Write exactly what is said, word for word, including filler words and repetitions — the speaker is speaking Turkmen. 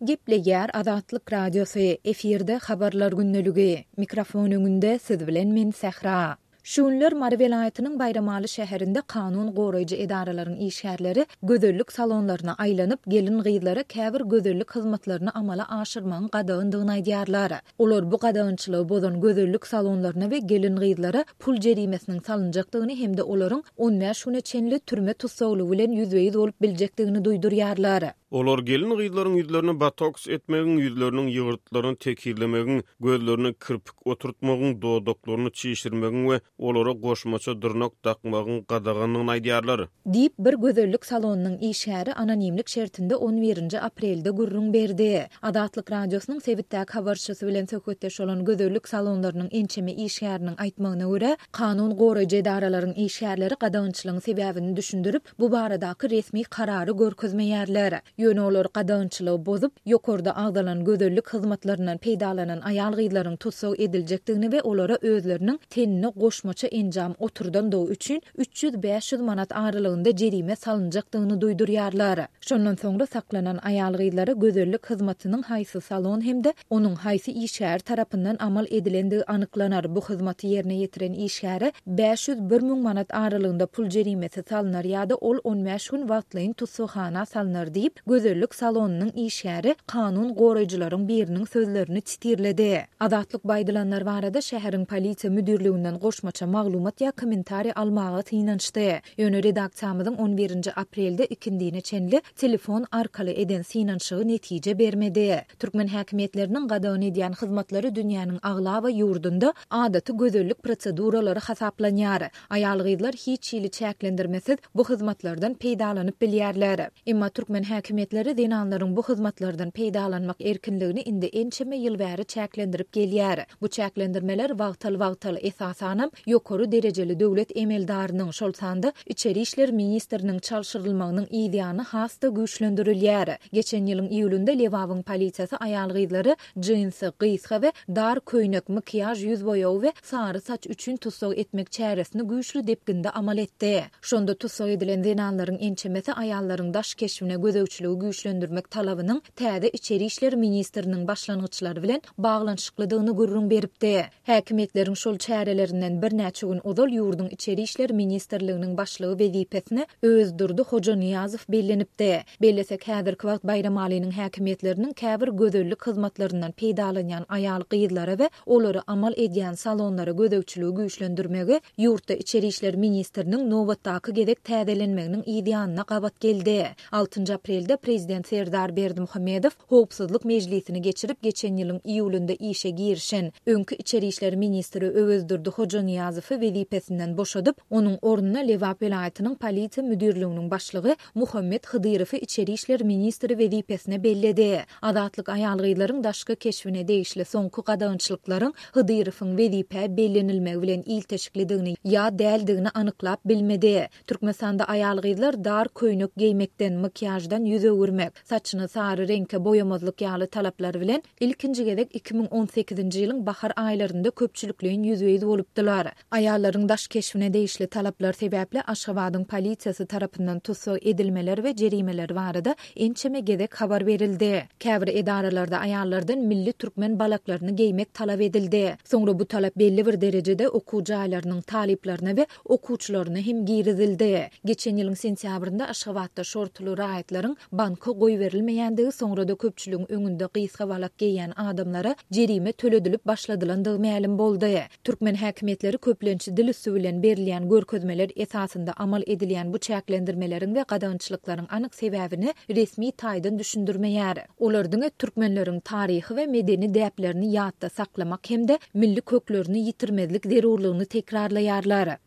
Gepleýär Azatlyk Radiosy, efirde Habarlar gündeligi. Mikrofon öňünde siz bilen men Sähra. Şu günler Mary welaýatynyň Baýramaly şäherinde kanun goraýjy edaralaryň işgärleri gözellik salonlaryna aýlanyp, gelin-gyzlara käbir gözellik hyzmatlaryny amala aşyrmagyň gadagandygyny aýdýarlar. Olar bu gadagançylygy bozan gözellik salonlaryna we gelin-gyzlara pul jerimesiniň salynjakdygyny hem-de olaryň on bäş güne çenli türme tussaglygy bilen ýüzbe-ýüz bolup biljekdigini duýdurýarlar. Olar gelin-gyzlaryň ýüzlerini botoks etmegiň, ýüzleriniň ýygyrtlaryny tekizlemegiň, gözlerine kirpik oturtmagyň, dodaklaryny çişirmegiň we olara goşmaça dyrnak dakmagyň gadagandygyny aýdýarlar. Diýip, bir gözellik salonynyň işgäri anonimlik şertinde on birinji aprelde gürrüň berdi. Azatlyk Radiosynyň sebitdäki habarçysy bilen söhbetdeş bolan gözellik salonlarynyň ençeme işgäriniň aýtmagyna görä, kanun goraýjy edaralaryň işgärleri gadagançylygyň sebäbini düşündirip, bu baradaky resmi karary görkezmeýärler. Ýöne olar gadagançylygy bozup, ýokarda agzalan gözellik hyzmatlaryndan peýdalanan aýal-gyzlaryň tussag ediljekdigini we olara özleriniň tenine goşmaça enjam oturdandygy üçin üç ýüz-bäş ýüz manat aralygynda jerime salynjakdygyny duýdurýarlar. Şondan soňra saklanan aýal-gyzlara gözellik hyzmatynyň haýsy salon hem-de onuň haýsy işgäri tarapyndan amal edilendigi anyklanar. Bu hyzmaty ýerine ýetiren işgäre bäş ýüz bir müň manat aralygynda pul jerimesi salynar ýa-da ol on bäş gün wagtlaýyn tussaghana salynar diýip, gözellik salonynyň işgäri kanun goraýjylaryň biriniň sözlerini titirledi. Azatlyk bu aýdylanlar barada şäheriň polisiýa müdirliginden goşmaça maglumat ýa kommentariý almaga synanyşdy. Ýöne redaksiýamyzyň on birinji aprelde ikindine çenli telefon arkaly eden synanyşygy netije bermedi. Türkmen häkimiýetleriniň gadagan edýän hyzmatlary dünýäniň aglaba ýurdunda adaty gözellik proseduralary hasaplanýar. Aýal-gyzlar hiç hili çäklendirmesiz bu hyzmatlardan peýdalanyp bilýärler. Emma türkmen häkimiýetleri zenanlaryň bu hyzmatlardan peýdalanmak erkinligini indi ençeme ýyl bäri çäklendirip gelýär. Bu çäklendirmeler wagtal-wagtal, esasanam ýokary derejeli döwlet emeldarynyň, şol sanda içeri işler ministriniň çalşyrylmagynyň yzýany has-da güýçlendirilýär. Geçen ýylyň iýulynda Lebabyň polisiýasy aýal-gyzlary jinsi, gysga we dar köýnek, makiýaž ýüz boýagy we sary saç üçin tussag etmek çäresini güýçli depginde amal etdi. Şonda tussag edilen zenanlaryň ençemesi aýallaryň daş keşbine gözegçiligi güýçlendirmek talabynyň täze içeri işler ministriniň başlangyçlary bilen baglanyşyklydygyny gürrüň beripdi. Häkimiýetleriň şol çärelerinden birnäçe gün ozal ýurduň içeri işler ministrliginiň başlygy wezipesine Öwezdurdy Hojanyýazow bellenipdi. Bellesek, häzirki wagt Baýramalynyň häkimiýetleriniň käbir gözellik hyzmatlaryndan peýdalanýan aýal-gyzlara we olary amal edýän salonlara gözegçiligi güýçlendirmegi ýurtda içeri işler ministriniň nobatdaky gezek täzelenmeginiň yz ýanyna gabat geldi. Altynjy aprelde prezident Serdar Berdimuhamedow howpsuzlyk mejlisini geçirip, geçen ýylyň iýulynda işe girişen öňki içeri işler ministri Öwezdurdy Hojanyýazowy wezipesinden boşadyp, onuň ornuna Lebap welaýatynyň polisiýa müdirliginiň başlygy Muhammet Hydyrowy içeri işler ministri wezipesine belledi. Azatlyk aýal-gyzlaryň daşky keşbine degişli soňky gadagançylyklaryň Hydyrowyň wezipä bellenilmegi bilen ilteşiklidigini ýa däldigini anyklap bilmedi. Türkmenistanda aýal-gyzlar dar köýnek geýmekden, makiýaždan ýüz öwürmek, saçyny sary reňke boýamazlyk ýaly talaplar bilen ilkinji gezek iki müň on sekizinji ýylyň bahar aýlarynda köpçülikleýin ýüzbe-ýüz bolupdylar. Aýallaryň daş keşbine degişli talaplar sebäpli Aşgabadyň polisiýasy tarapyndan tussag edilmeler we jerimeler barada ençeme gezek habar berildi. Käbir edaralarda aýallardan milli türkmen balaklaryny geýmek talap edildi. Soňra bu talap belli bir derejede okuw jaýlarynyň talyplaryna we okuwçylaryna hem girizildi. Geçen ýylyň sentýabrynda Aşgabatda şortuly raýatlaryň banka goýberilmeýändigi, soňra-da köpçüligiň öňünde gysga balak geýýän adamlara jerime töledilip başladylandygy mälim boldy. Türkmen häkimiýetleri köplenç dil üsti bilen berilýän görkezmeler esasynda amal edilýän bu çäklendirmeleriň we gadagançylyklaryň anyk sebäbini resmi taýdan düşündirmeýär. Olar diňe türkmenleriň taryhy we medeni däplerini ýatda saklamak hem-de milli köklerini ýitirmezlik zerurlygyny tekrarlaýarlar.